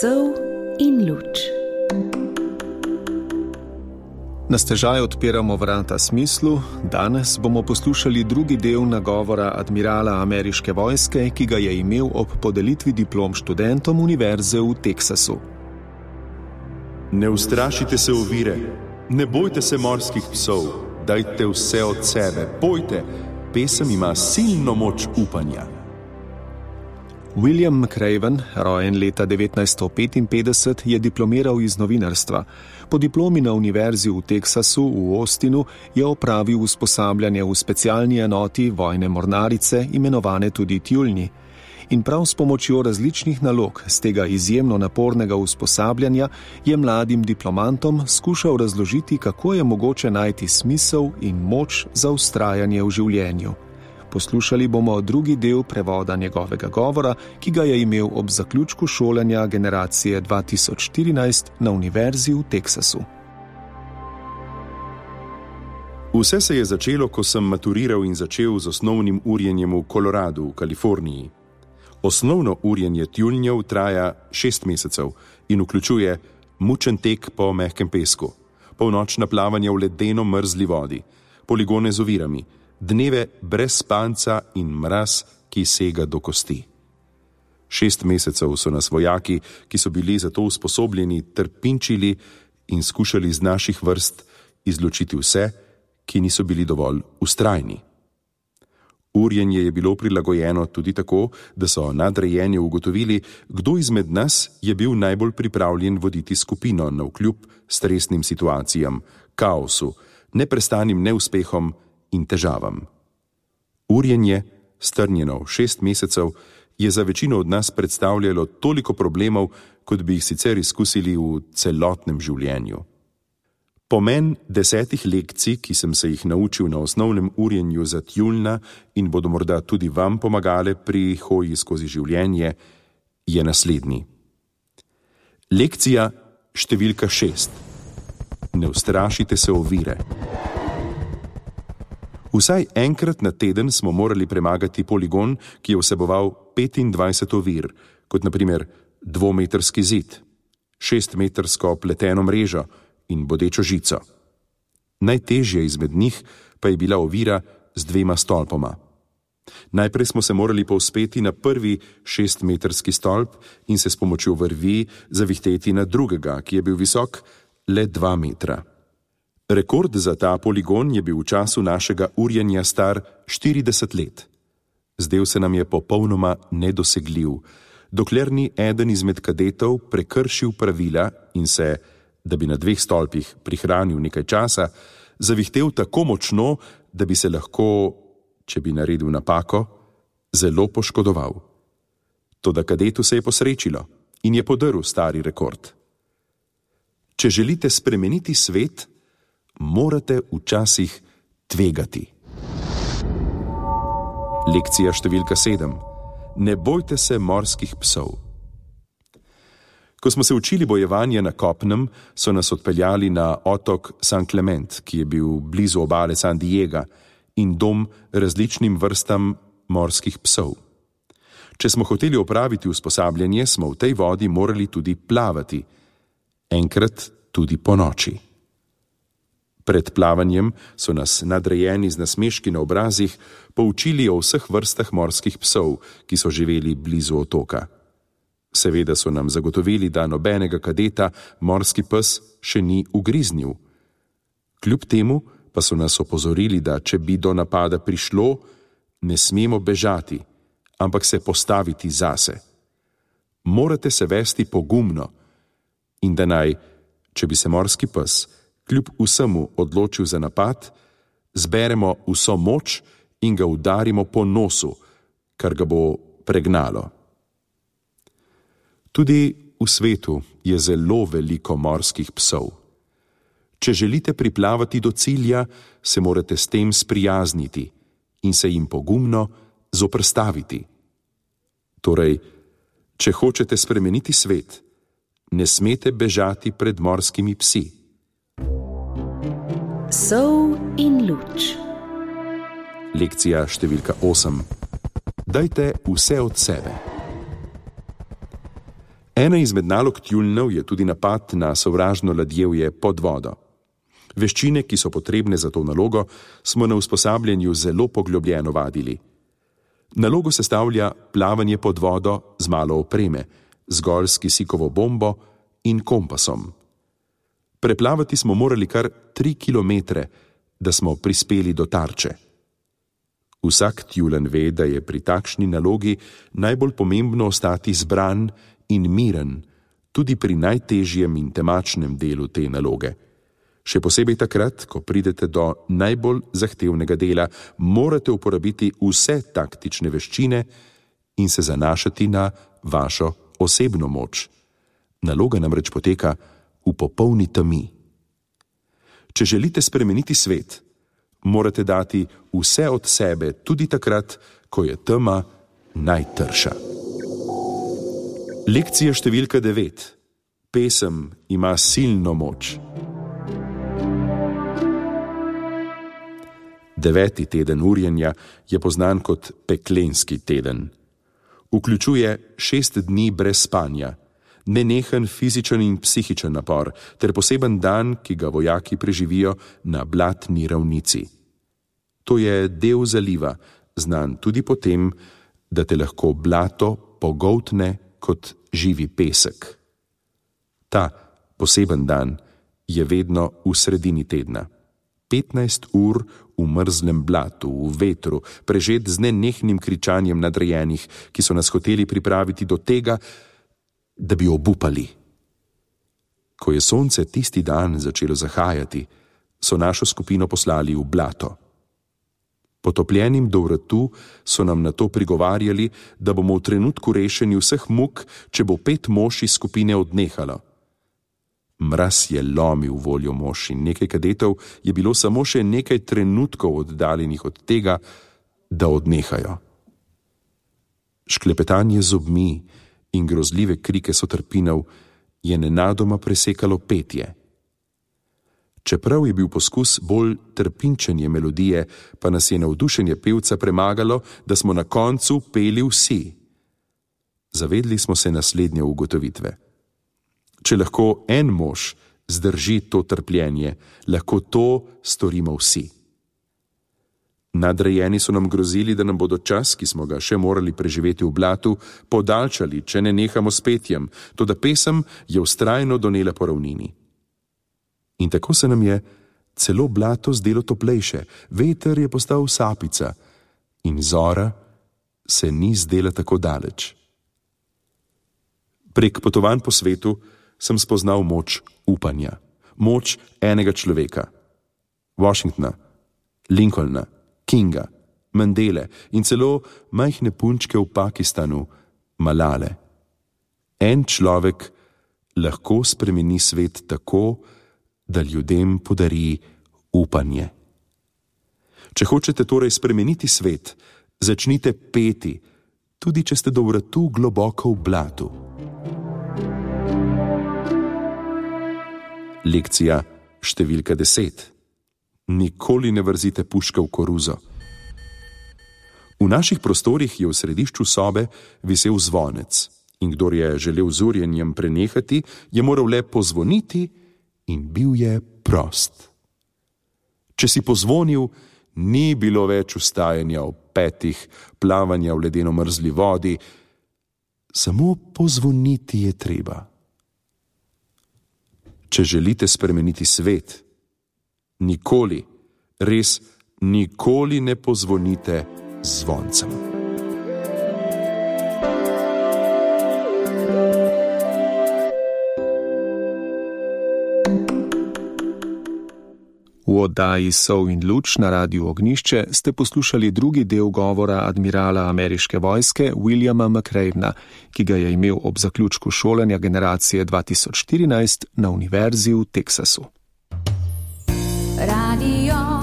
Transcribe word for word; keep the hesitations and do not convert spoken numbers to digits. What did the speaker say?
Sol in luč. Na stežaj odpiramo vrata smislu. Danes bomo poslušali drugi del nagovora admirala ameriške vojske, ki ga je imel ob podelitvi diplom študentom univerze v Teksasu. Ne ustrašite se ovire, ne bojte se morskih psov, dajte vse od sebe, bojte, pesem ima silno moč upanja. William McRaven, rojen leta devetnajststo petinpetdeset, je diplomiral iz novinarstva. Po diplomi na univerzi v Teksasu v Austinu je opravil usposabljanje v specialni enoti vojne mornarice, imenovane tudi tjuljni. In prav s pomočjo različnih nalog z tega izjemno napornega usposabljanja je mladim diplomantom skušal razložiti, kako je mogoče najti smisel in moč za vztrajanje v življenju. Poslušali bomo drugi del prevoda njegovega govora, ki ga je imel ob zaključku šolanja generacije dva tisoč štirinajst na univerzi v Teksasu. Vse se je začelo, ko sem maturiral in začel z osnovnim urjenjem v Koloradu v Kaliforniji. Osnovno urjenje tjuljnjev traja šest mesecev in vključuje mučen tek po mehkem pesku, polnočna plavanja v ledeno mrzli vodi, poligone z ovirami, dneve brez spanca in mraz, ki sega do kosti. Šest mesecev so nas vojaki, ki so bili za to usposobljeni, trpinčili in skušali z naših vrst izločiti vse, ki niso bili dovolj vztrajni. Urjenje je bilo prilagojeno tudi tako, da so nadrejeni ugotovili, kdo izmed nas je bil najbolj pripravljen voditi skupino navkljub stresnim situacijam, kaosu, neprestanim neuspehom in težavam. Urjenje, strnjeno v šest mesecev, je za večino od nas predstavljalo toliko problemov, kot bi jih sicer izkusili v celotnem življenju. Pomen desetih lekcij, ki sem se jih naučil na osnovnem urjenju za tjuljna in bodo morda tudi vam pomagale pri hoji skozi življenje, je naslednji. Lekcija številka šest. Ne ustrašite se ovire. Vsaj enkrat na teden smo morali premagati poligon, ki je vseboval petindvajset ovir, kot na primer dvometrski zid, šestmetrsko pleteno mrežo in bodečo žico. Najtežje izmed njih pa je bila ovira z dvema stolpoma. Najprej smo se morali povzpeti na prvi šestmetrski stolp in se s pomočjo vrvi zavihteti na drugega, ki je bil visok le dva metra. Rekord za ta poligon je bil v času našega urjenja star štirideset let. Zdel se nam je popolnoma nedosegljiv, dokler ni eden izmed kadetov prekršil pravila in se, da bi na dveh stolpih prihranil nekaj časa, zavihtel tako močno, da bi se lahko, če bi naredil napako, zelo poškodoval. Toda kadetu se je posrečilo in je podrl stari rekord. Če želite spremeniti svet, morate včasih tvegati. Lekcija številka sedem. Ne bojte se morskih psov. Ko smo se učili bojevanja na kopnem, so nas odpeljali na otok San Clement, ki je bil blizu obale San Diega in dom različnim vrstam morskih psov. Če smo hoteli opraviti usposabljanje, smo v tej vodi morali tudi plavati, enkrat tudi po noči. Pred plavanjem so nas nadrejeni z nasmeški na obrazih poučili o vseh vrstah morskih psov, ki so živeli blizu otoka. Seveda so nam zagotovili, da nobenega kadeta morski pes še ni ugriznil. Kljub temu pa so nas opozorili, da če bi do napada prišlo, ne smemo bežati, ampak se postaviti zase. Morate se vesti pogumno in da naj, če bi se morski pes kljub vsemu odločil za napad, zberemo vso moč in ga udarimo po nosu, kar ga bo pregnalo. Tudi v svetu je zelo veliko morskih psov. Če želite priplavati do cilja, se morate s tem sprijazniti in se jim pogumno zoprstaviti. Torej, če hočete spremeniti svet, ne smete bežati pred morskimi psi. Sol in luč. Lekcija številka osem. Dajte vse od sebe. Ena izmed nalog tjuljnjev je tudi napad na sovražno ladjevje pod vodo. Veščine, ki so potrebne za to nalogo, smo na usposabljanju zelo poglobljeno vadili. Nalogo sestavlja plavanje pod vodo z malo opreme, zgolj s kisikovo bombo in kompasom. Preplavati smo morali kar tri kilometre, da smo prispeli do tarče. Vsak tjulenj ve, da je pri takšni nalogi najbolj pomembno ostati zbran in miren, tudi pri najtežjem in temačnem delu te naloge. Še posebej takrat, ko pridete do najbolj zahtevnega dela, morate uporabiti vse taktične veščine in se zanašati na vašo osebno moč. Naloga namreč poteka v popolni temi. Če želite spremeniti svet, morate dati vse od sebe, tudi takrat, ko je tema najtrša. Lekcija številka devet. Pesem ima silno moč. Deveti teden urjenja je poznan kot peklenski teden. Vključuje šest dni brez spanja, nenehen fizičen in psihičen napor ter poseben dan, ki ga vojaki preživijo na blatni ravnici. To je del zaliva, znan tudi po tem, da te lahko blato pogoltne kot živi pesek. Ta poseben dan je vedno v sredini tedna. petnajst ur v mrzlem blatu, v vetru, prežet z nenehnim kričanjem nadrejenih, ki so nas hoteli pripraviti do tega, da bi obupali. Ko je sonce tisti dan začelo zahajati, so našo skupino poslali v blato. Potopljenim do vratu so nam na to prigovarjali, da bomo v trenutku rešeni vseh muk, če bo pet mož iz skupine odnehalo. Mraz je lomil voljo mož in nekaj kadetov je bilo samo še nekaj trenutkov oddaljenih od tega, da odnehajo. Šklepetanje zobmi in grozljive krike sotrpinov je nenadoma presekalo petje. Čeprav je bil poskus bolj trpinčenje melodije, pa nas je navdušenje pevca premagalo, da smo na koncu peli vsi. Zavedli smo se naslednje ugotovitve. Če lahko en mož zdrži to trpljenje, lahko to storimo vsi. Nadrejeni so nam grozili, da nam bodo čas, ki smo ga še morali preživeti v blatu, podaljšali, če ne nehamo s petjem, toda pesem je vztrajno donela po ravnini. In tako se nam je celo blato zdelo toplejše, veter je postal sapica in zora se ni zdela tako daleč. Prek potovanj po svetu sem spoznal moč upanja, moč enega človeka. Washingtona, Lincolna, Kinga, Mandele in celo majhne punčke v Pakistanu, Malale. En človek lahko spremeni svet tako, da ljudem podari upanje. Če hočete torej spremeniti svet, začnite peti, tudi če ste do vratu globoko v blatu. Lekcija številka deset. Nikoli ne vrzite puške v koruzo. V naših prostorih je v središču sobe visel zvonec in kdor je želel z urjenjem prenehati, je moral le pozvoniti in bil je prost. Če si pozvonil, ni bilo več vstajanja ob petih, plavanja v ledeno mrzli vodi, samo pozvoniti je treba. Če želite spremeniti svet, nikoli, res nikoli ne pozvonite z zvoncem. V oddaji Sol in luč na Radiu Ognjišče ste poslušali drugi del govora admirala ameriške vojske Williama McRavena, ki ga je imel ob zaključku šolanja generacije dva tisoč štirinajst na univerzi v Teksasu. Radio